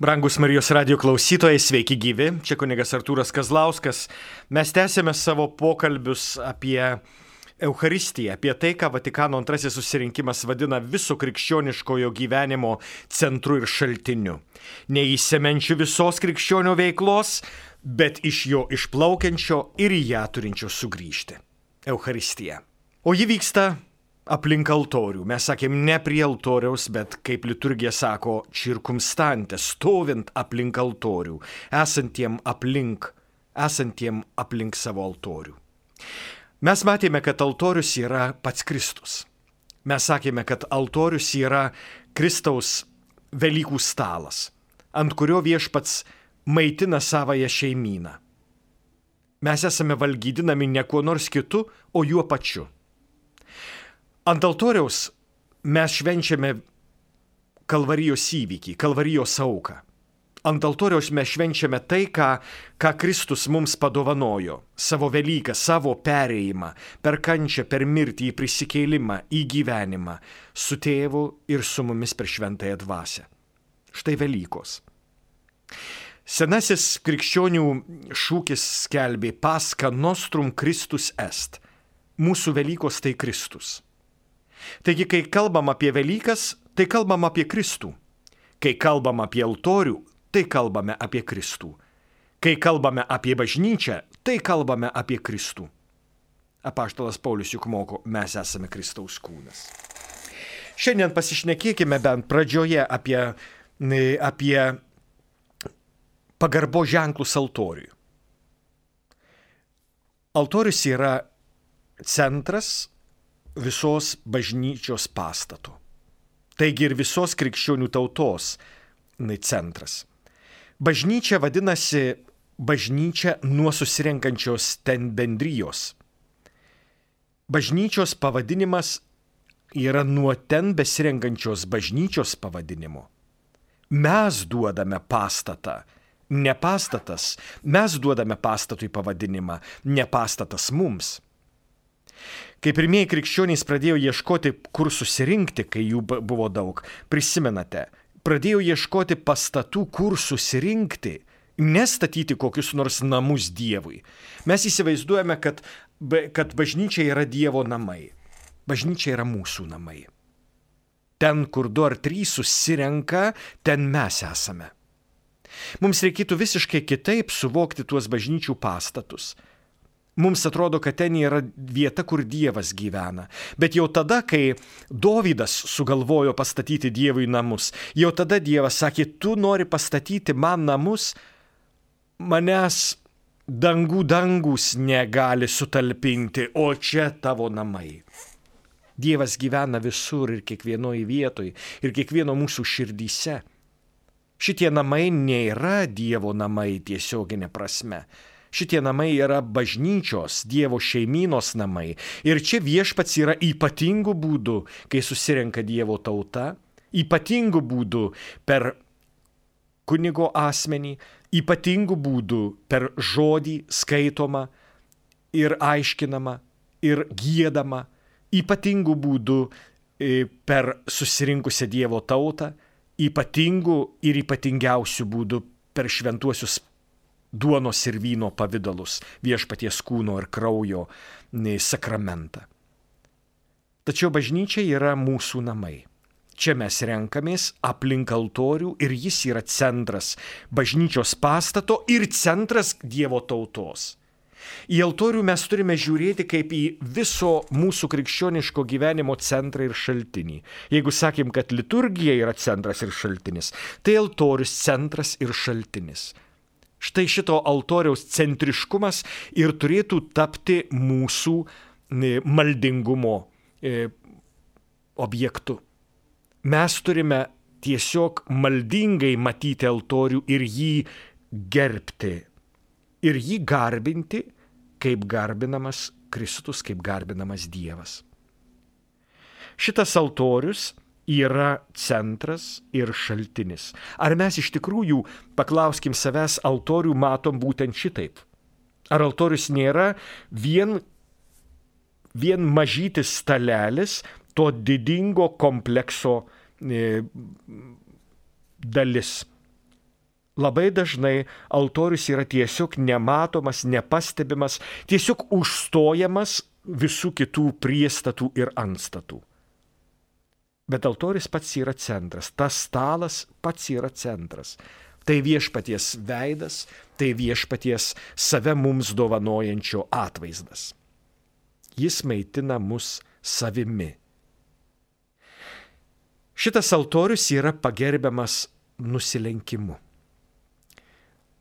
Brangus Marijos radio klausytojai, sveiki gyvi, čia kunigas Artūras Kazlauskas. Mes tęsėme savo pokalbius apie Eucharistiją, apie tai, ką Vatikano antrasis susirinkimas vadina viso krikščioniškojo gyvenimo centru ir šaltiniu. Neįsemenčiu visos krikščionio veiklos, bet iš jo išplaukiančio ir į ją turinčio sugrįžti. Eucharistija. O ji vyksta aplink altorių. Mes sakėm ne prie altoriaus, bet kaip liturgija sako, circumstante, stovint aplink altorių, esantiem aplink savo altorių. Mes matėme, kad altorius yra pats Kristus. Mes sakėme, kad altorius yra Kristaus Velykų stalas, ant kurio viešpats maitina savąją šeimyną. Mes esame valgydinami ne kuo nors kitu, o juo pačiu. Ant altoriaus mes švenčiame Kalvarijos įvykį, Kalvarijos auką. Ant altoriaus mes švenčiame tai, ką Kristus mums padovanojo, savo Velyką, savo perėjimą, per kančią, per mirtį, į prisikėlimą, į gyvenimą, su tėvu ir su mumis per šventąją dvasią. Štai Velykos. Senasis krikščionių šūkis skelbė Pascha nostrum Christus est. Mūsų Velykos tai Kristus. Taigi, kai kalbam apie Velykas, tai kalbam apie Kristų. Kai kalbam apie altorių, tai kalbame apie Kristų. Kai kalbame apie bažnyčią, tai kalbame apie Kristų. Apaštalas Paulius juk moko, mes esame Kristaus kūnas. Šiandien pasišnekėkime bent pradžioje apie pagarbo ženklus altoriui. Altorius yra centras visos bažnyčios pastato. Taigi ir visos krikščionių tautos centras. Bažnyčia vadinasi bažnyčia nuo susirenkančios ten bendrijos. Bažnyčios pavadinimas yra nuo ten besirenkančios bažnyčios pavadinimo. Mes duodame pastatą, ne pastatas. Mes duodame pastatui pavadinimą, ne pastatas mums. Kai pirmieji krikščionys pradėjo ieškoti, kur susirinkti, kai jų buvo daug, prisimenate, pradėjo ieškoti pastatų, kur susirinkti, nestatyti kokius nors namus Dievui. Mes įsivaizduojame, kad bažnyčia yra Dievo namai. Bažnyčia yra mūsų namai. Ten, kur 2 ar 3 susirenka, ten mes esame. Mums reikėtų visiškai kitaip suvokti tuos bažnyčių pastatus. Mums atrodo, kad ten yra vieta, kur Dievas gyvena. Bet jau tada, kai Dovydas sugalvojo pastatyti Dievui namus, jau tada Dievas sakė, tu nori pastatyti man namus, manęs dangus negali sutalpinti, o čia tavo namai. Dievas gyvena visur ir kiekvienoje vietoje, ir kiekvieno mūsų širdyse. Šitie namai nėra Dievo namai tiesioginė prasme. Šitie namai yra bažnyčios, Dievo šeimynos namai. Ir čia viešpats yra ypatingų būdų, kai susirenka Dievo tauta, ypatingų būdų per kunigo asmenį, ypatingų būdų per žodį skaitomą ir aiškinamą ir giedamą, ypatingų būdų per susirinkusią Dievo tautą, ypatingų ir ypatingiausių būdų per šventuosius duonos ir vyno pavidalus, viešpaties kūno ir kraujo sakramentą. Tačiau bažnyčia yra mūsų namai. Čia mes renkamės aplink altorių ir jis yra centras bažnyčios pastato ir centras Dievo tautos. Į altorių mes turime žiūrėti kaip į viso mūsų krikščioniško gyvenimo centrą ir šaltinį. Jeigu sakėm, kad liturgija yra centras ir šaltinis, tai altorius centras ir šaltinis. Štai šito altoriaus centriškumas ir turėtų tapti mūsų maldingumo objektu. Mes turime tiesiog maldingai matyti altorių ir jį gerbti. Ir jį garbinti, kaip garbinamas Kristus, kaip garbinamas Dievas. Šitas altorius yra centras ir šaltinis. Ar mes iš tikrųjų, paklauskim savęs, altorių matom būtent šitaip? Ar altorius nėra vien mažytis stalelis to didingo komplekso dalis? Labai dažnai altorius yra tiesiog nematomas, nepastebimas, tiesiog užstojamas visų kitų priestatų ir antstatų. Bet altorius pats yra centras, tas stalas pats yra centras. Tai viešpaties veidas, tai viešpaties save mums dovanojančio atvaizdas. Jis maitina mus savimi. Šitas altorius yra pagerbiamas nusilenkimu.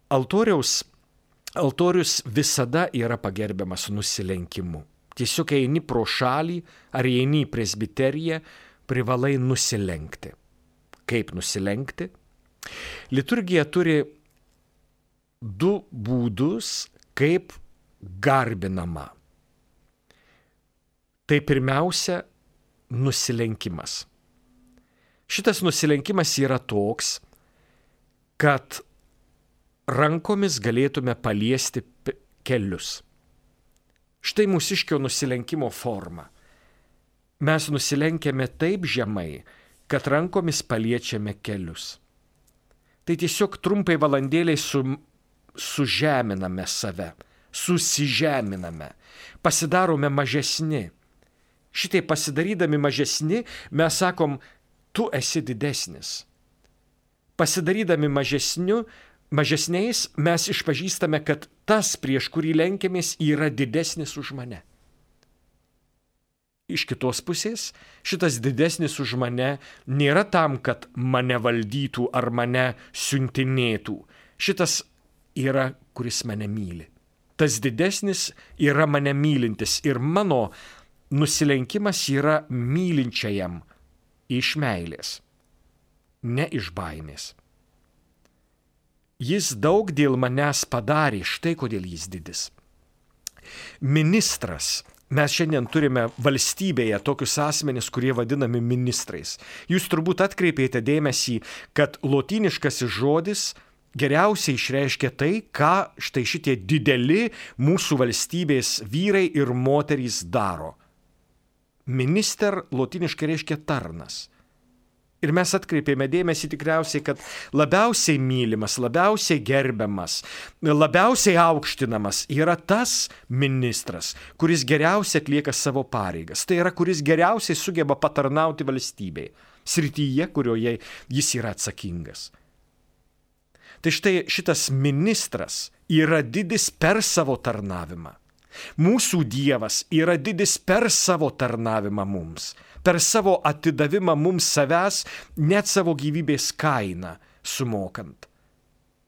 Altorius visada yra pagerbiamas nusilenkimu. Tiesiog eini pro šalį ar eini į presbiteriją, privalai nusilenkti. Kaip nusilenkti? Liturgija turi 2 būdus, kaip garbinama. Tai pirmiausia, nusilenkimas. Šitas nusilenkimas yra toks, kad rankomis galėtume paliesti kelius. Štai mūsiškio nusilenkimo forma. Mes nusilenkiame taip žemai, kad rankomis paliečiame kelius. Tai tiesiog trumpai valandėliai sužeminame save, susižeminame, pasidarome mažesni. Šitai pasidarydami mažesni, mes sakom, tu esi didesnis. Pasidarydami mažesniais, mes išpažįstame, kad tas, prieš kurį lenkiamės, yra didesnis už mane. Iš kitos pusės, šitas didesnis už mane nėra tam, kad mane valdytų ar mane siuntinėtų. Šitas yra, kuris mane myli. Tas didesnis yra mane mylintis ir mano nusilenkimas yra mylinčiajam iš meilės, ne iš baimės. Jis daug dėl manęs padarė, štai kodėl jis didis. Ministras. Mes šiandien turime valstybėje tokius asmenis, kurie vadinami ministrais. Jūs turbūt atkreipėte dėmesį, kad lotyniškasis žodis geriausiai išreiškia tai, ką štai šitie dideli mūsų valstybės vyrai ir moterys daro. Minister lotyniškai reiškia tarnas. Ir mes atkreipėme dėmesį tikriausiai, kad labiausiai mylimas, labiausiai gerbiamas, labiausiai aukštinamas yra tas ministras, kuris geriausiai atlieka savo pareigas. Tai yra, kuris geriausiai sugeba patarnauti valstybei, srityje, kurioje jis yra atsakingas. Tai štai šitas ministras yra didis per savo tarnavimą. Mūsų Dievas yra didis per savo tarnavimą mums, per savo atidavimą mums savęs, net savo gyvybės kainą sumokant.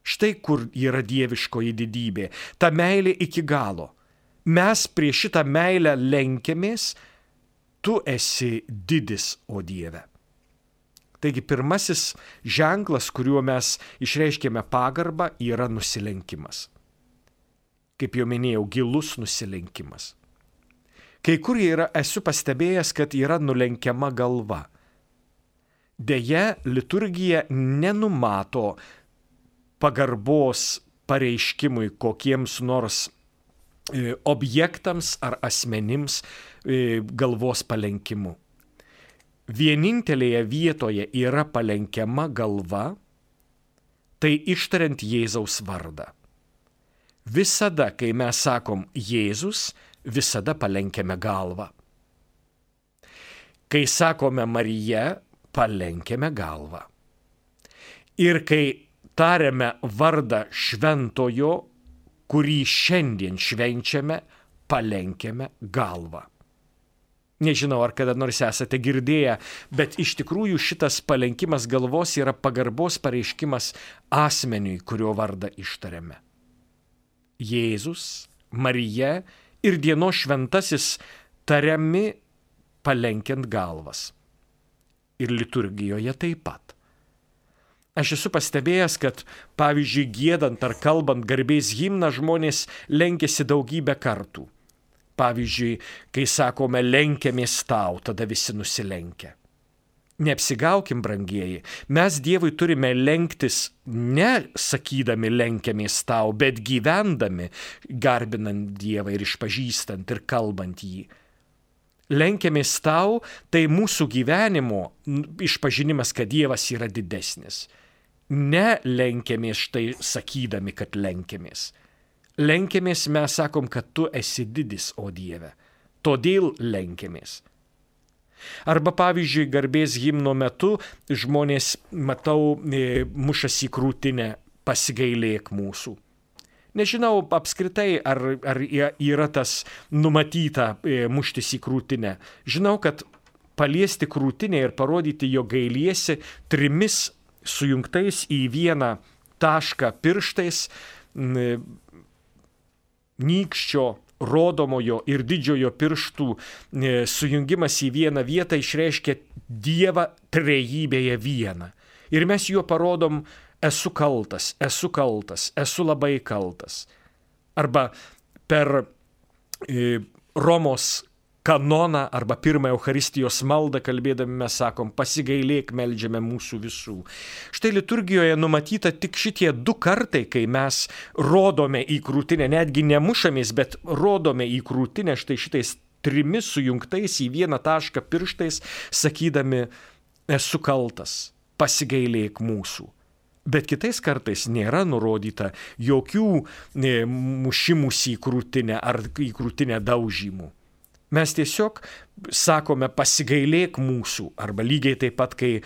Štai kur yra dieviškoji didybė, ta meilė iki galo. Mes prieš šitą meilę lenkiamės, tu esi didis, o Dieve. Taigi pirmasis ženklas, kuriuo mes išreiškėme pagarbą, yra nusilenkimas. Kaip jau minėjau, gilus nusilenkimas. Kai kur esu pastebėjęs, kad yra nulenkiama galva. Deja, liturgija nenumato pagarbos pareiškimui kokiems nors objektams ar asmenims galvos palenkimu. Vienintelėje vietoje yra palenkiama galva, tai ištariant Jėzaus vardą. Visada, kai mes sakom Jėzus, visada palenkiame galvą. Kai sakome Marija, palenkiame galvą. Ir kai tariame vardą šventojo, kurį šiandien švenčiame, palenkiame galvą. Nežinau, ar kada nors esate girdėję, bet iš tikrųjų šitas palenkimas galvos yra pagarbos pareiškimas asmeniui, kurio vardą ištariame. Jėzus, Marija ir dienos šventasis tariami palenkiant galvas. Ir liturgijoje taip pat. Aš esu pastebėjęs, kad pavyzdžiui, giedant ar kalbant garbės himną žmonės lenkiasi daugybę kartų. Pavyzdžiui, kai sakome lenkiamės tau, tada visi nusilenkia. Neapsigaukim, brangieji, mes Dievui turime lenktis ne sakydami lenkiamės tau, bet gyvendami, garbinant Dievą ir išpažįstant ir kalbant jį. Lenkiamės tau, tai mūsų gyvenimo išpažinimas, kad Dievas yra didesnis. nelenkiamės štai sakydami, kad lenkiamės. Lenkiamės mes sakom, kad tu esi didis, o Dieve. Todėl lenkiamės. Arba pavyzdžiui, garbės himno metu žmonės, matau, mušasi į krūtinę, pasigailėk mūsų. Nežinau apskritai, ar yra tas numatyta muštis į krūtinę. Žinau, kad paliesti krūtinę ir parodyti, jo gailiesi 3 sujungtais į vieną tašką pirštais, nykščio, rodomojo ir didžiojo pirštų sujungimas į vieną vietą išreiškia Dievą trejybėje vieną. Ir mes juo parodom, esu kaltas, esu labai kaltas. Arba per Romos kanoną arba pirmąją Eucharistijos maldą kalbėdami mes sakom, pasigailėk, meldžiame mūsų visų. Štai liturgijoje numatyta tik šitie 2 kartai, kai mes rodome į krūtinę, netgi nemušamės, bet rodome į krūtinę štai šitais 3 sujungtais į vieną tašką pirštais, sakydami, esu kaltas, pasigailėk mūsų. Bet kitais kartais nėra nurodyta jokių mušimus į krūtinę ar į krūtinę daužymų. Mes tiesiog sakome pasigailėk mūsų, arba lygiai taip pat, kai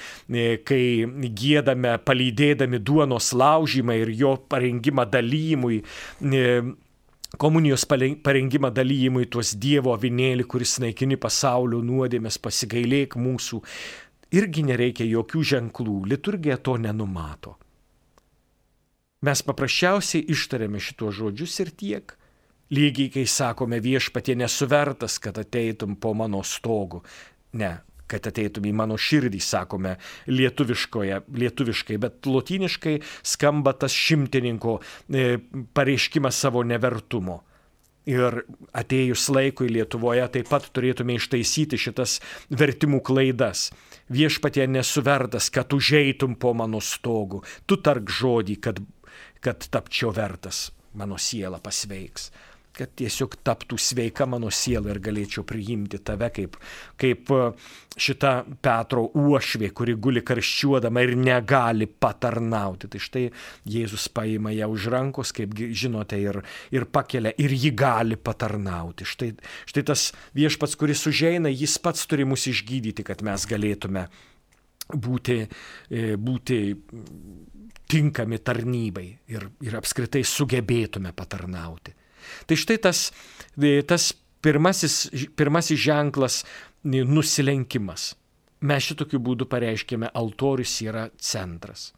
giedame, palydėdami duonos laužymą ir jo parengimą dalymui, komunijos parengimą dalymui tuos Dievo avinėlį, kuris naikini pasaulio nuodėmes, pasigailėk mūsų, irgi nereikia jokių ženklų, liturgija to nenumato. Mes paprasčiausiai ištariame šitos žodžius ir tiek. Lygiai, kai sakome viešpatie nesu vertas, kad ateitum po mano stogu. Ne, kad ateitum į mano širdį, sakome lietuviškai, bet lotyniškai skamba tas šimtininko pareiškimas savo nevertumo. Ir atėjus laikui Lietuvoje taip pat turėtume ištaisyti šitas vertimų klaidas. Viešpatie nesu vertas, kad užeitum po mano stogu. Tu tark žodį, kad tapčiau vertas, mano siela pasveiks. Kad tiesiog taptų sveika mano siela ir galėčiau priimti tave kaip šita Petro uošvė, kuri guli karščiuodama ir negali patarnauti. Tai štai Jėzus paima ją už rankos, kaip žinote, ir pakelia, ir ji gali patarnauti. Štai tas viešpats, kuris užeina, jis pats turi mus išgydyti, kad mes galėtume būti tinkami tarnybai ir apskritai sugebėtume patarnauti. Tai štai tas pirmasis ženklas nusilenkimas. Mes šitokiu būdu pareiškėme, altorius yra centras.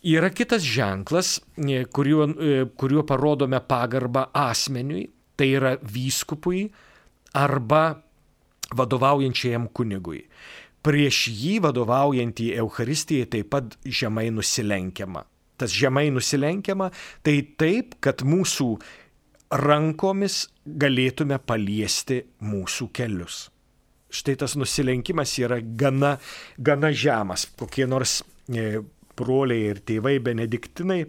Yra kitas ženklas, kuriuo parodome pagarbą asmeniui, tai yra vyskupui arba vadovaujančiajam kunigui. Prieš jį vadovaujantį Eucharistijai taip pat žemai nusilenkiama. Tas žemai nusilenkiama, tai taip, kad mūsų rankomis galėtume paliesti mūsų kelius. Štai tas nusilenkimas yra gana žemas. Kokie nors broliai ir tėvai benediktinai,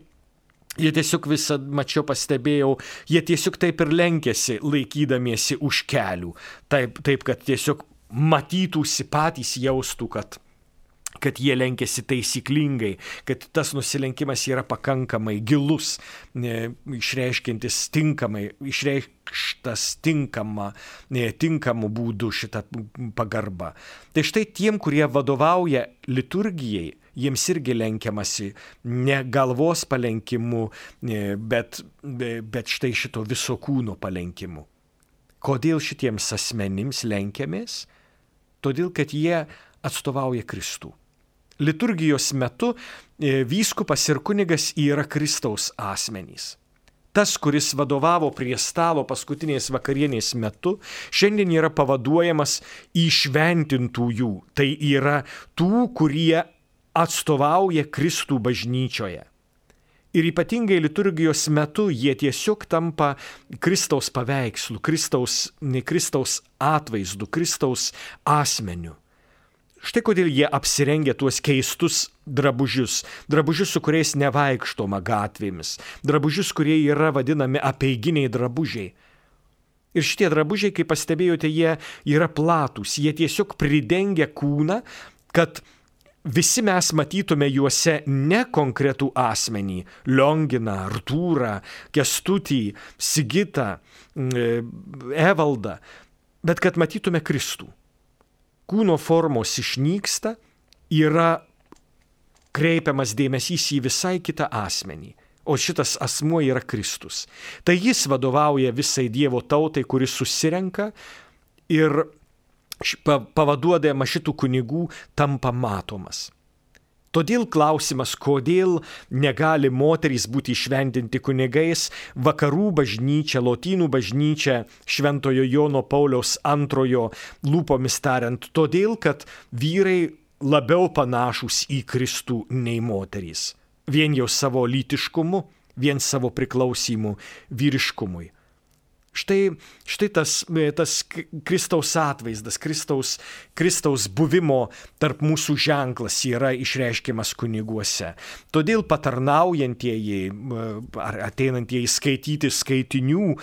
jie tiesiog mačiau, pastebėjau, jie tiesiog taip ir lenkėsi, laikydamiesi už kelių. Taip, kad tiesiog matytųsi patys, jaustų, kad jie lenkėsi taisyklingai, kad tas nusilenkimas yra pakankamai gilus, išreiškintis išreikštas tinkamu būdu šitą pagarbą. Tai štai tiem, kurie vadovauja liturgijai, jiems irgi lenkiamasi ne galvos palenkimu, bet štai šito viso kūno palenkimu. Kodėl šitiems asmenims lenkiamės? Todėl, kad jie atstovauja Kristų. Liturgijos metu vyskupas ir kunigas yra Kristaus asmenys. Tas, kuris vadovavo prie stalo paskutinės vakarienės metu, šiandien yra pavaduojamas įšventintųjų. Tai yra tų, kurie atstovauja Kristų bažnyčioje. Ir ypatingai liturgijos metu jie tiesiog tampa Kristaus paveikslu, Kristaus atvaizdu, Kristaus asmeniu. Štai kodėl jie apsirengia tuos keistus drabužius, su kuriais nevaikštoma gatvėmis, drabužius, kurie yra vadinami apeiginiai drabužiai. Ir šitie drabužiai, kaip pastebėjote, jie yra platūs, jie tiesiog pridengia kūną, kad visi mes matytume juose ne konkretų asmenį - Lionginą, Artūrą, Kęstutį, Sigitą, Evaldą, bet kad matytume Kristų. Kūno formos išnyksta, yra kreipiamas dėmesys į visai kitą asmenį, o šitas asmuo yra Kristus. Tai jis vadovauja visai Dievo tautai, kuris susirenka ir pavaduodama šitų kunigų tampa matomas. Todėl klausimas, kodėl negali moterys būti įšventinti kunigais, vakarų bažnyčia, lotynų bažnyčia, Šventojo Jono Pauliaus II lūpomis tariant, todėl, kad vyrai labiau panašūs į Kristų nei moterys. Vien jau savo lytiškumu, vien savo priklausimu vyriškumui. Štai tas Kristaus atvaizdas, Kristaus buvimo tarp mūsų ženklas yra išreiškiamas kuniguose. Todėl patarnaujantieji ar ateinantieji skaityti skaitinių,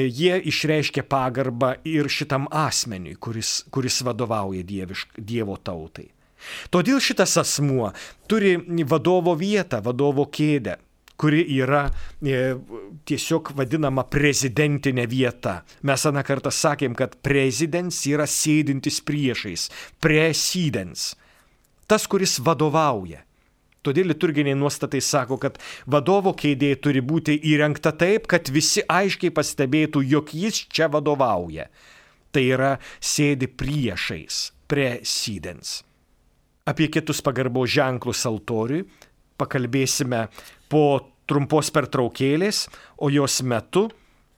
jie išreiškia pagarbą ir šitam asmeniui, kuris vadovauja Dievo tautai. Todėl šitas asmuo turi vadovo vietą, vadovo kėdę, kuri yra tiesiog vadinama prezidentinė vieta. Mes aną kartą sakėm, kad prezidens yra sėdintis priešais, presidens, tas, kuris vadovauja. Todėl liturginiai nuostatai sako, kad vadovo kėdė turi būti įrengta taip, kad visi aiškiai pastebėtų, jog jis čia vadovauja. Tai yra sėdi priešais, presidens. Apie kitus pagarbos ženklus altoriui pakalbėsime po trumpos pertraukėlės, o jos metu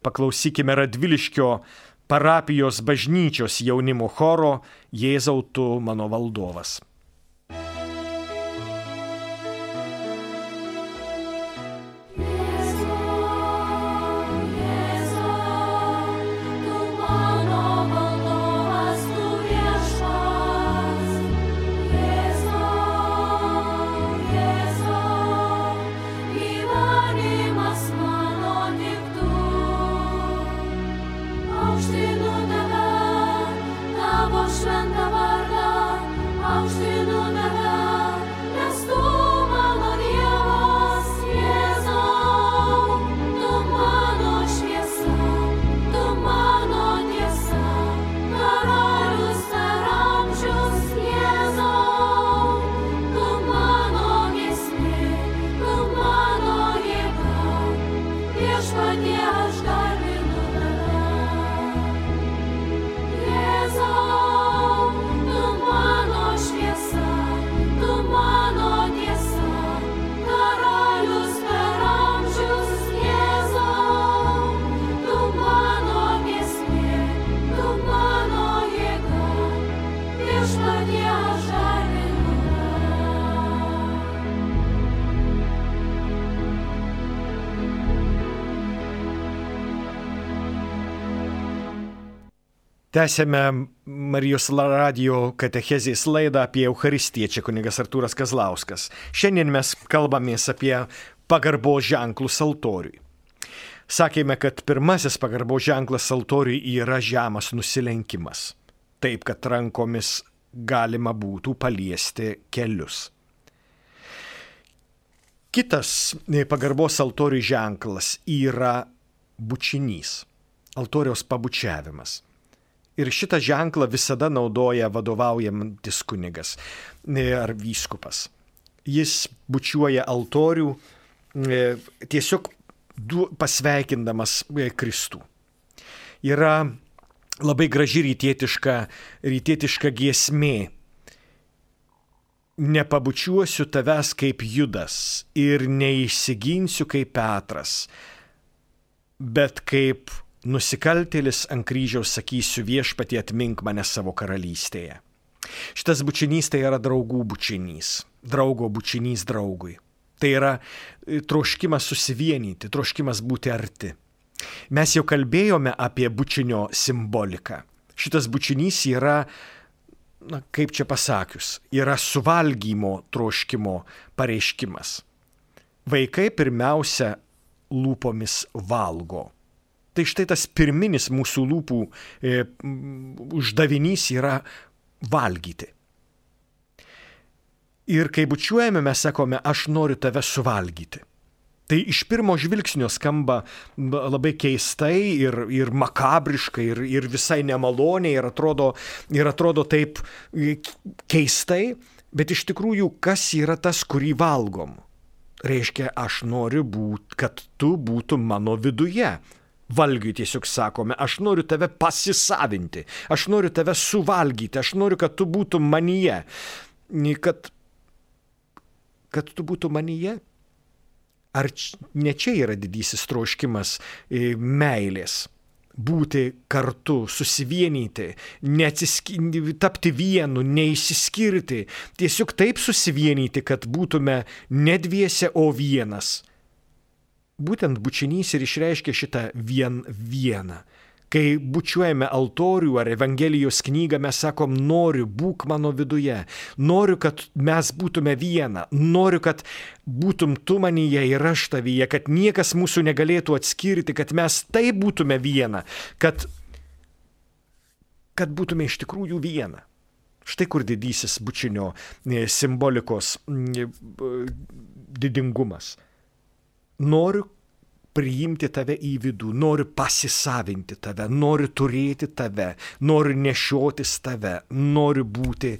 paklausykime Radviliškio parapijos bažnyčios jaunimo choro Jėzau tu mano valdovas. Tęsėme Marijos radijo katechezės laidą apie Eucharistiją, čia kunigas Artūras Kazlauskas. Šiandien mes kalbamės apie pagarbos ženklus altoriui. Sakėme, kad pirmasis pagarbos ženklas altoriui yra žemas nusilenkimas, taip kad rankomis galima būtų paliesti kelius. Kitas pagarbos altoriui ženklas yra bučinys, altoriaus pabučiavimas. Ir šitą ženklą visada naudoja vadovaujantis kunigas ar vyskupas. Jis bučiuoja altorių tiesiog pasveikindamas Kristų. Yra labai graži rytietiška giesmė. Nepabučiuosiu tavęs kaip Judas ir neišsiginsiu kaip Petras, bet kaip nusikaltėlis ant kryžiaus sakysiu viešpatie atmink mane savo karalystėje. Šitas bučinys tai yra draugų bučinys, draugo bučinys draugui. Tai yra troškimas susivienyti, troškimas būti arti. Mes jau kalbėjome apie bučinio simboliką. Šitas bučinys yra, kaip čia pasakius, yra suvalgymo troškimo pareiškimas. Vaikai pirmiausia lūpomis valgo. Tai štai tas pirminis mūsų lūpų uždavinys yra valgyti. Ir kai bučiuojame, mes sakome, aš noriu tave suvalgyti. Tai iš pirmo žvilgsnio skamba labai keistai ir makabriškai, ir visai nemaloniai, ir atrodo taip keistai, bet iš tikrųjų, kas yra tas, kurį valgom? Reiškia, aš noriu kad tu būtum mano viduje. Valgiui tiesiog sakome, aš noriu tave pasisavinti, aš noriu tave suvalgyti, aš noriu, kad tu būtum manyje. Kad tu būtum manyje? Ar ne čia yra didysis troškimas meilės? Būti kartu, susivienyti, tapti vienu, neišsiskirti, tiesiog taip susivienyti, kad būtume ne dviese, o vienas. Būtent bučinys ir išreiškia šitą vieną. Kai bučiuojame altorių ar Evangelijos knygą, mes sakom, noriu, būk mano viduje, noriu, kad mes būtume viena, noriu, kad būtum tu manyje ir aš tavyje, kad niekas mūsų negalėtų atskirti, kad mes taip būtume viena, kad būtume iš tikrųjų viena. Štai kur didysis bučinio simbolikos didingumas. Noriu priimti tave į vidų, noriu pasisavinti tave, noriu turėti tave, noriu nešiotis tave, noriu būti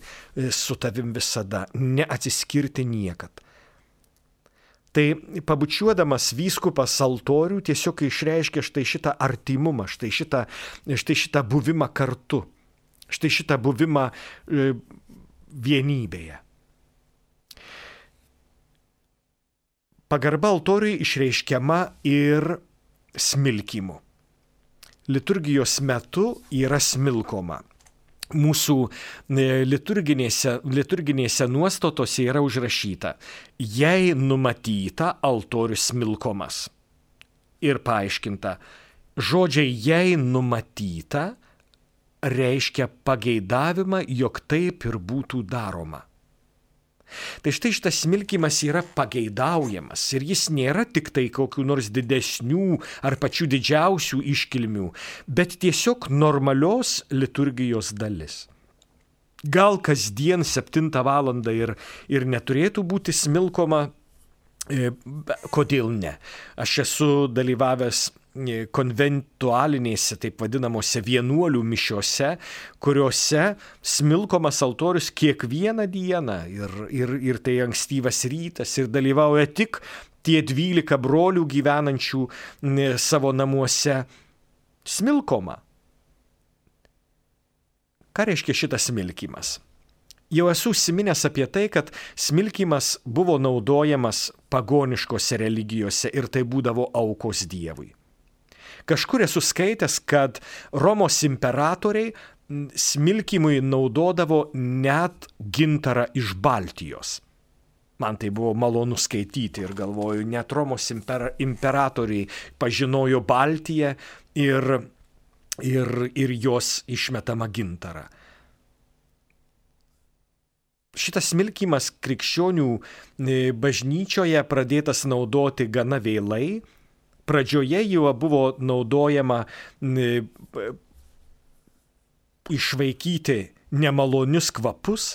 su tavim visada, neatsiskirti niekad. Tai pabučiuodamas vyskupas altorių tiesiog išreiškia štai šitą artimumą, štai šitą buvimą kartu, štai šitą buvimą vienybėje. Pagarba altoriui išreiškiama ir smilkymu. Liturgijos metu yra smilkoma. Mūsų liturginėse nuostatose yra užrašyta, jei numatyta altorius smilkomas. Ir paaiškinta, žodžiai jei numatyta reiškia pageidavimą, jog taip ir būtų daroma. Tai štai šitas smilkymas yra pageidaujamas ir jis nėra tik tai kokių nors didesnių ar pačių didžiausių iškilmių, bet tiesiog normalios liturgijos dalis. Gal kasdien 7 valandą ir neturėtų būti smilkoma, kodėl ne? Aš esu dalyvavęs konventualinėse, taip vadinamose vienuolių mišiose, kuriuose smilkomas altorius kiekvieną dieną ir tai ankstyvas rytas ir dalyvauja tik tie 12 brolių gyvenančių savo namuose smilkoma. Ką reiškia šitas smilkymas? Jau esu užsiminęs apie tai, kad smilkymas buvo naudojamas pagoniškose religijose ir tai būdavo aukos Dievui. Kažkur esu skaitęs, kad Romos imperatoriai smilkymui naudodavo net gintarą iš Baltijos. Man tai buvo malonu skaityti ir galvoju, net Romos imperatoriai pažinojo Baltiją ir jos išmetamą gintarą. Šitas smilkymas krikščionių bažnyčioje pradėtas naudoti gana vėlai. Pradžioje jau buvo naudojama išvaikyti nemalonius kvapus.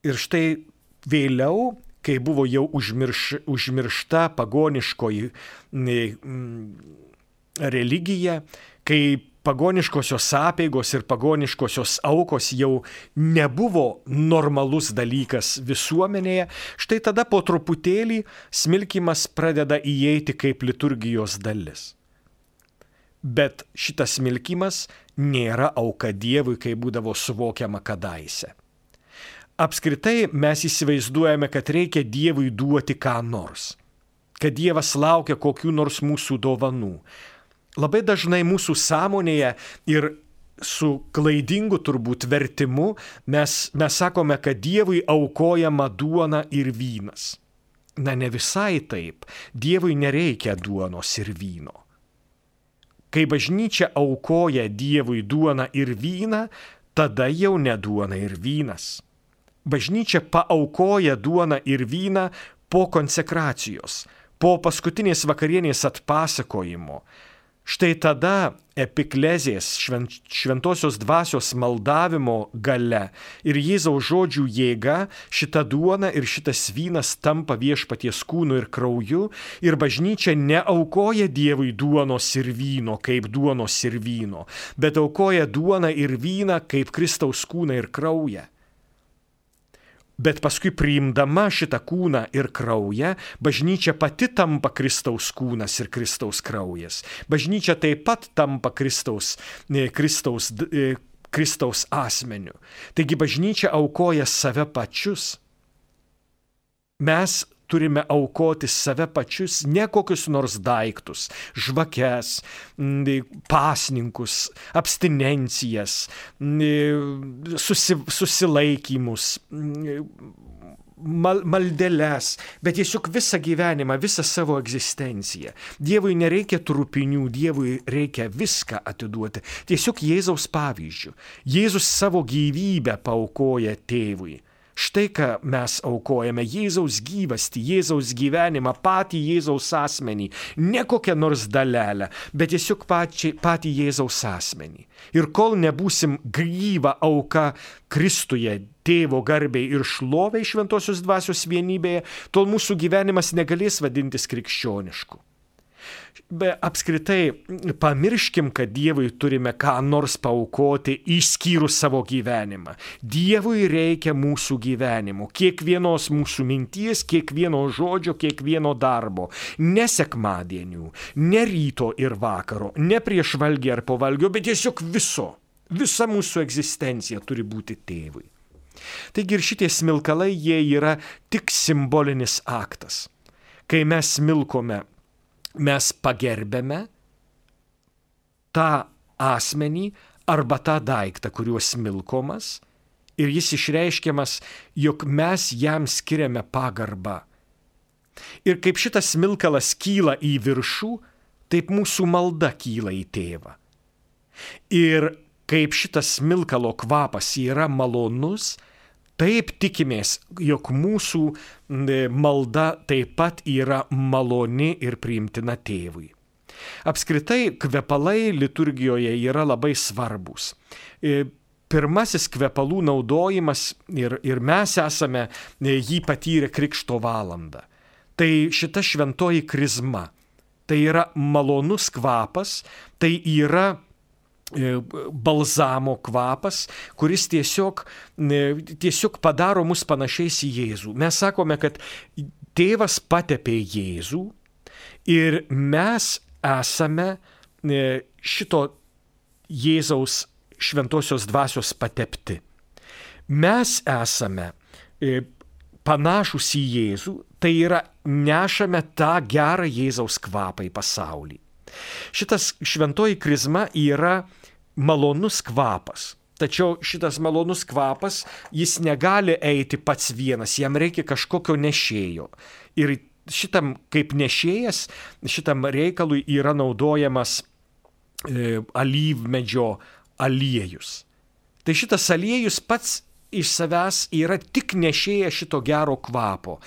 Ir štai vėliau, kai buvo jau užmiršta pagoniškoji religija, kai pagoniškosios apeigos ir pagoniškosios aukos jau nebuvo normalus dalykas visuomenėje, štai tada po truputėlį smilkymas pradeda įeiti kaip liturgijos dalis. Bet šitas smilkymas nėra auka Dievui, kaip būdavo suvokiama kadaise. Apskritai mes įsivaizduojame, kad reikia Dievui duoti ką nors, kad Dievas laukia kokių nors mūsų dovanų. Labai dažnai mūsų sąmonėje ir su klaidingu turbūt vertimu mes sakome, kad Dievui aukojama duona ir vynas. Na, ne visai taip. Dievui nereikia duonos ir vyno. Kai bažnyčia aukoja Dievui duoną ir vyną, tada jau ne duona ir vynas. Bažnyčia paaukoja duoną ir vyną po konsekracijos, po paskutinės vakarienės atpasakojimo. Štai tada epiklezės šventosios dvasios maldavimo gale ir Jėzaus žodžių jėga šita duona ir šitas vynas tampa viešpaties kūnu ir krauju ir bažnyčia neaukoja Dievui duonos ir vyno kaip duonos ir vyno, bet aukoja duoną ir vyną kaip Kristaus kūną ir kraują. Bet paskui priimdama šitą kūną ir kraują, bažnyčia pati tampa Kristaus kūnas ir Kristaus kraujas. Bažnyčia taip pat tampa Kristaus asmeniu. Taigi bažnyčia aukoja save pačius. Mes turime aukoti save pačius, ne kokius nors daiktus, žvakes, pasninkus, abstinencijas, susilaikymus, maldeles, bet tiesiog visą gyvenimą, visą savo egzistenciją. Dievui nereikia trupinių, Dievui reikia viską atiduoti. Tiesiog Jėzaus pavyzdžių. Jėzus savo gyvybę paaukoja tėvui. Štai ką mes aukojame: Jėzaus gyvastį, Jėzaus gyvenimą, patį Jėzaus asmenį, ne kokią nors dalelę, bet tiesiog patį Jėzaus asmenį. Ir kol nebūsim gyva auka Kristuje, Tėvo garbei ir šloviai šventosios dvasios vienybėje, tol mūsų gyvenimas negalės vadintis krikščionišku. Bet apskritai pamirškim, kad Dievui turime ką nors paaukoti išskyrus savo gyvenimą. Dievui reikia mūsų gyvenimo, kiekvienos mūsų minties, kiekvieno žodžio, kiekvieno darbo. Ne sekmadienių, ne ryto ir vakaro, ne prieš valgį ar po valgio, bet tiesiog visa mūsų egzistencija turi būti tėvui. Taigi ir šitie smilkalai, jie yra tik simbolinis aktas. Kai mes smilkome, mes pagerbėme tą asmenį arba tą daiktą, kuriuo smilkomas, ir jis išreiškiamas, jog mes jam skiriame pagarbą. Ir kaip šitas smilkalas kyla į viršų, taip mūsų malda kyla į tėvą. Ir kaip šitas smilkalo kvapas yra malonus, taip tikimės, jog mūsų malda taip pat yra maloni ir priimtina tėvui. Apskritai, kvepalai liturgijoje yra labai svarbus. Pirmasis kvepalų naudojimas, ir mes esame jį patyrę Krikšto valandą. Tai šita šventoji krizma. Tai yra malonus kvapas, tai yra balzamo kvapas, kuris tiesiog padaro mus panašiais į Jėzų. Mes sakome, kad tėvas patepė Jėzų ir mes esame šito Jėzaus šventosios dvasios patepti. Mes esame panašus į Jėzų, tai yra nešame tą gerą Jėzaus kvapą į pasaulį. Šitas šventoji krizma yra malonus kvapas. Tačiau šitas malonus kvapas, jis negali eiti pats vienas, jam reikia kažkokio nešėjo. Ir šitam kaip nešėjas, šitam reikalui yra naudojamas alyvmedžio aliejus. Tai šitas aliejus pats iš savęs yra tik nešėjas šito gero kvapo.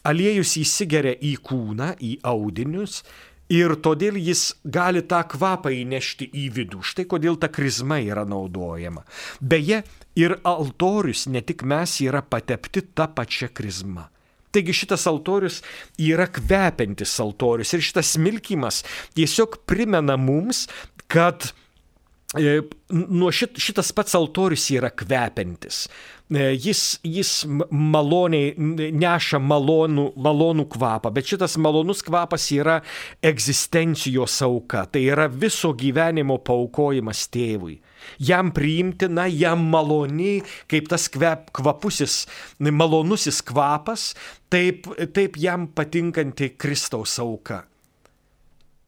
Aliejus įsigeria į kūną, į audinius, ir todėl jis gali tą kvapą įnešti į vidų. Štai kodėl ta krizma yra naudojama. Beje, ir altorius, ne tik mes, yra patepti tą pačią krizmą. Taigi šitas altorius yra kvepiantis altorius ir šitas smilkymas tiesiog primena mums, kad šitas pats altorius yra kvepiantis. Jis maloniai neša malonų kvapą, bet šitas malonus kvapas yra egzistencijos auka, tai yra viso gyvenimo paaukojimas tėvui. Jam priimtina, jam maloni, kaip tas kvapusis, malonusis kvapas, taip jam patinkanti Kristaus auka.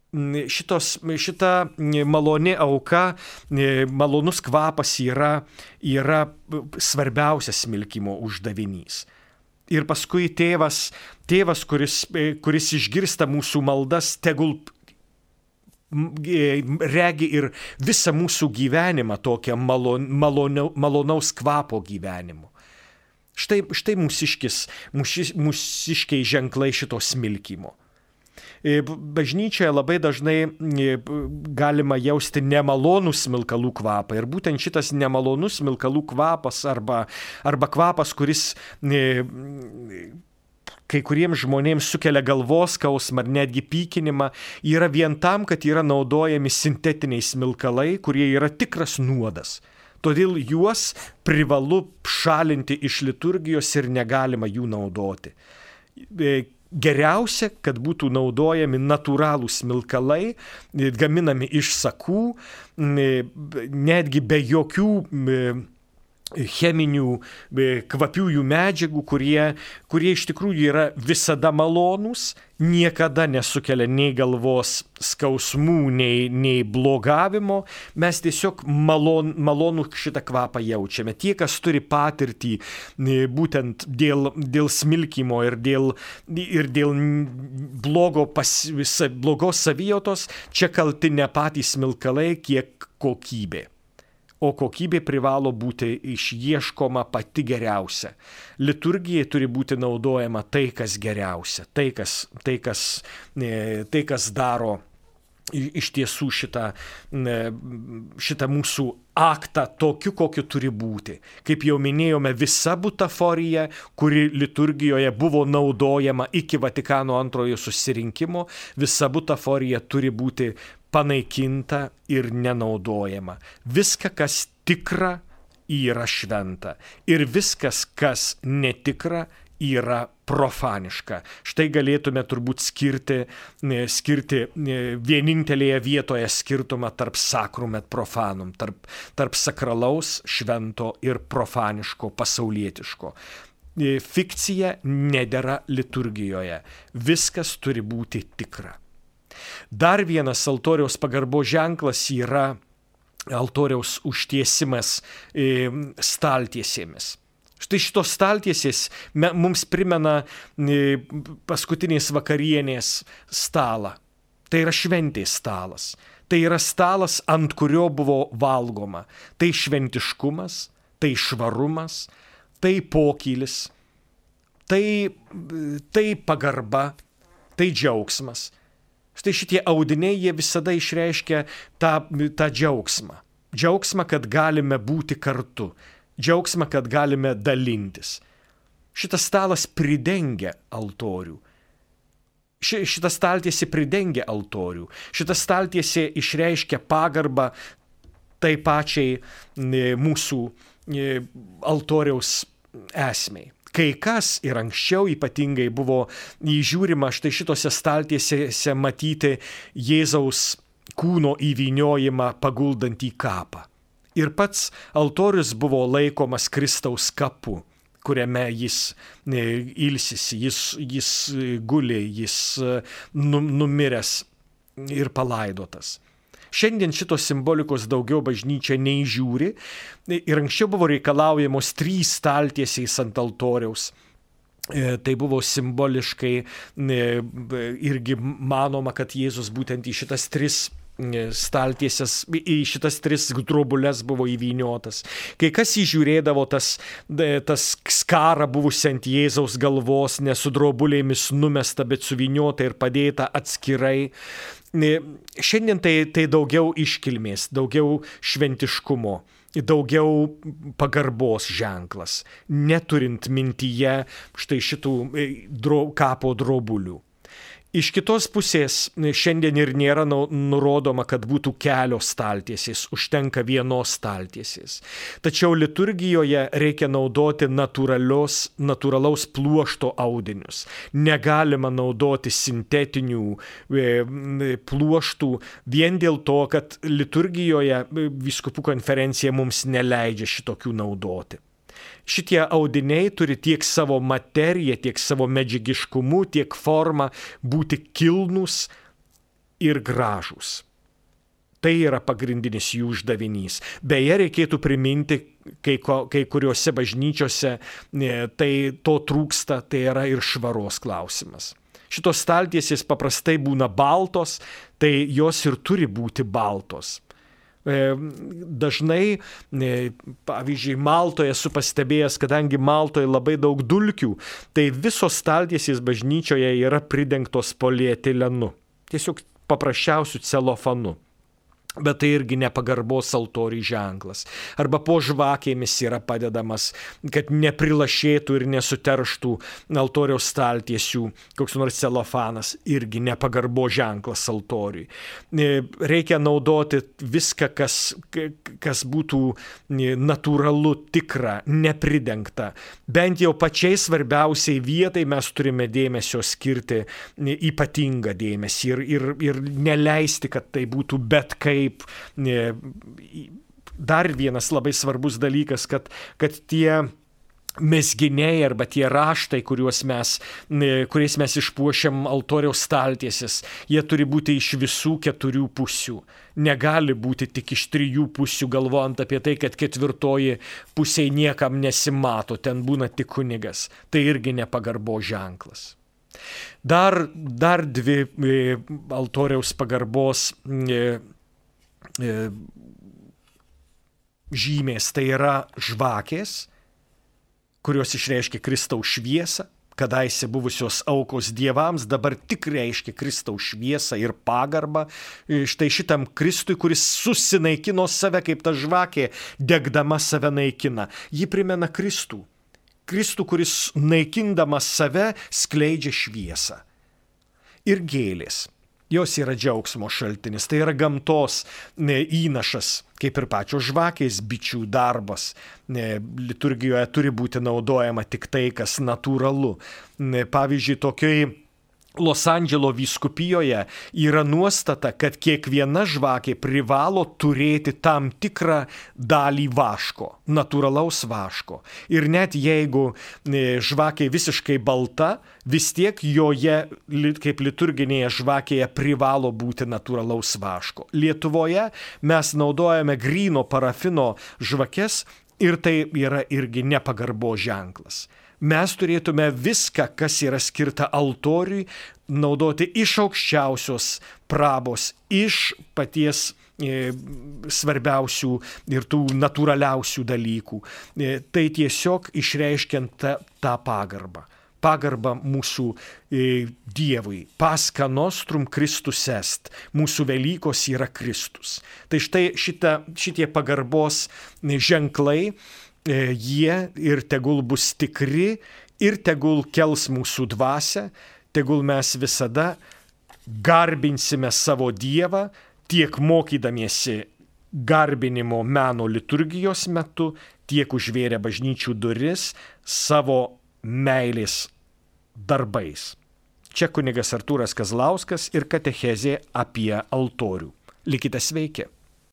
Šita maloni auka, malonus kvapas yra svarbiausias smilkymo uždavinys. Ir paskui tėvas, kuris išgirsta mūsų maldas, tegul regi ir visą mūsų gyvenimą tokią malonaus kvapo gyvenimu. Štai mūsiškiai ženklai šito smilkymo. Bažnyčioje labai dažnai galima jausti nemalonų smilkalų kvapą. Ir būtent šitas nemalonus smilkalų kvapas arba kvapas, kuris kai kuriems žmonėms sukelia galvos skausmą ar netgi pykinimą, yra vien tam, kad yra naudojami sintetiniai smilkalai, kurie yra tikras nuodas. Todėl juos privalu šalinti iš liturgijos ir negalima jų naudoti. Geriausia, kad būtų naudojami natūralūs smilkalai, gaminami iš sakų, netgi be jokių cheminių kvapiųjų medžiagų, kurie iš tikrųjų yra visada malonūs, niekada nesukelia nei galvos skausmų, nei blogavimo. Mes tiesiog malonų šitą kvapą jaučiame. Tie, kas turi patirtį būtent dėl smilkymo ir dėl blogos savijautos, čia kalti ne patys smilkalai, kiek kokybė. O kokybė privalo būti išieškoma pati geriausia. Liturgijai turi būti naudojama tai, kas geriausia, tai, kas daro iš tiesų šitą mūsų aktą tokiu, kokiu turi būti. Kaip jau minėjome, visa butaforija, kuri liturgijoje buvo naudojama iki Vatikano antrojo susirinkimo, visa butaforija turi būti panaikinta ir nenaudojama. Viską, kas tikra, yra šventa. Ir viskas, kas netikra, yra profaniška. Štai galėtume turbūt skirti vienintelėje vietoje skirtumą tarp sacrum et profanum, tarp sakralaus, švento ir profaniško, pasaulietiško. Fikcija nedera liturgijoje. Viskas turi būti tikra. Dar vienas altoriaus pagarbos ženklas yra altoriaus užtiesimas staltiesėmis. Štai šitos staltiesės mums primena paskutinės vakarienės stalą. Tai yra šventės stalas. Tai yra stalas, ant kurio buvo valgoma. Tai šventiškumas, tai švarumas, tai pokylis, tai pagarba, tai džiaugsmas. Štai šitie audiniai, jie visada išreiškia tą džiaugsmą. Džiaugsmą, kad galime būti kartu. Džiaugsmą, kad galime dalintis. Šitas stalas pridengia altorių. Šita staltiesė pridengia altorių. Šita staltiesė išreiškia pagarbą tai pačiai mūsų altoriaus esmei. Kai kas ir anksčiau ypatingai buvo įžiūrima štai šitose staltiesėse matyti Jėzaus kūno įvyniojimą paguldant į kapą. Ir pats altorius buvo laikomas Kristaus kapu, kuriame jis ilsisi, jis guli, jis numiręs ir palaidotas. Šiandien šitos simbolikos daugiau bažnyčia neįžiūri ir anksčiau buvo reikalaujamos 3 staltiesės ant altoriaus. Tai buvo simboliškai irgi manoma, kad Jėzus būtent į šitas 3 staltiesės, į šitas 3 drobules buvo įvyniotas. Kai kas įžiūrėdavo tas skarą buvusi ant Jėzaus galvos, ne su drobulėmis numesta, bet suvyniota ir padėta atskirai. Šiandien tai daugiau iškilmės, daugiau šventiškumo, daugiau pagarbos ženklas, neturint mintyje štai šitų kapo drobulių. Iš kitos pusės šiandien ir nėra nurodoma, kad būtų kelios staltiesės, užtenka vienos staltiesės. Tačiau liturgijoje reikia naudoti natūralaus pluošto audinius. Negalima naudoti sintetinių pluoštų vien dėl to, kad liturgijoje vyskupų konferencija mums neleidžia šitokių naudoti. Šitie audiniai turi tiek savo materiją, tiek savo medžiagiškumu, tiek formą būti kilnūs ir gražūs. Tai yra pagrindinis jų uždavinys. Beje, reikėtų priminti, kai kuriuose bažnyčiose tai to trūksta, tai yra ir švaros klausimas. Šitos staltiesės paprastai būna baltos, tai jos ir turi būti baltos. Dažnai, pavyzdžiui, Maltoje esu pastebėjęs, kadangi Maltoje labai daug dulkių, tai visos staltiesės bažnyčioje yra pridengtos polietilenu. Tiesiog paprasčiausių celofanu. Bet tai irgi nepagarbos altoriui ženklas. Arba po žvakėmis yra padedamas, kad neprilašėtų ir nesuterštų altoriaus staltiesių koks nors celofanas, irgi nepagarbos ženklas altoriui. Reikia naudoti viską, kas būtų natūralu, tikra, nepridengta. Bent jau pačiai svarbiausiai vietai mes turime dėmesio skirti ypatingą dėmesį ir neleisti, kad tai būtų bet kaip. Dar vienas labai svarbus dalykas, kad tie mezginiai arba tie raštai, kuriais mes išpuošiam altoriaus staltieses, jie turi būti iš visų 4 pusių. Negali būti tik iš 3 pusių, galvojant apie tai, kad 4 pusėje niekam nesimato, ten būna tik kunigas. Tai irgi nepagarbo ženklas. Dar 2 altoriaus pagarbos žymės, tai yra žvakės, kurios išreiškia Kristaus šviesą, kadaise buvusios aukos dievams, dabar tik reiškia Kristaus šviesą ir pagarbą. Štai šitam Kristui, kuris susinaikino save, kaip ta žvakė, degdama save naikina. Ji primena Kristų. Kristų, kuris naikindamas save skleidžia šviesą. Ir gėlės. Jos yra džiaugsmo šaltinis, tai yra gamtos įnašas, kaip ir pačios žvakės, bičių darbas. Liturgijoje turi būti naudojama tik tai, kas natūralu. Pavyzdžiui, tokioj Los Andželo vyskupijoje yra nuostata, kad kiekviena žvakė privalo turėti tam tikrą dalį vaško, natūralaus vaško. Ir net jeigu žvakė visiškai balta, vis tiek joje, kaip liturginėje žvakėje, privalo būti natūralaus vaško. Lietuvoje mes naudojame gryno parafino žvakes ir tai yra irgi nepagarbo ženklas. Mes turėtume viską, kas yra skirta altoriui, naudoti iš aukščiausios prabos, iš paties svarbiausių ir tų natūraliausių dalykų. Tai tiesiog išreiškiant tą pagarbą. Pagarbą mūsų Dievui. Pascha nostrum Christus est. Mūsų Velykos yra Kristus. Tai štai šitie pagarbos ženklai, jie ir tegul bus tikri, ir tegul kels mūsų dvasią, tegul mes visada garbinsime savo Dievą, tiek mokydamiesi garbinimo meno liturgijos metu, tiek užvėrę bažnyčių duris savo meilės darbais. Čia kunigas Artūras Kazlauskas ir katechezė apie altorių. Likite sveiki.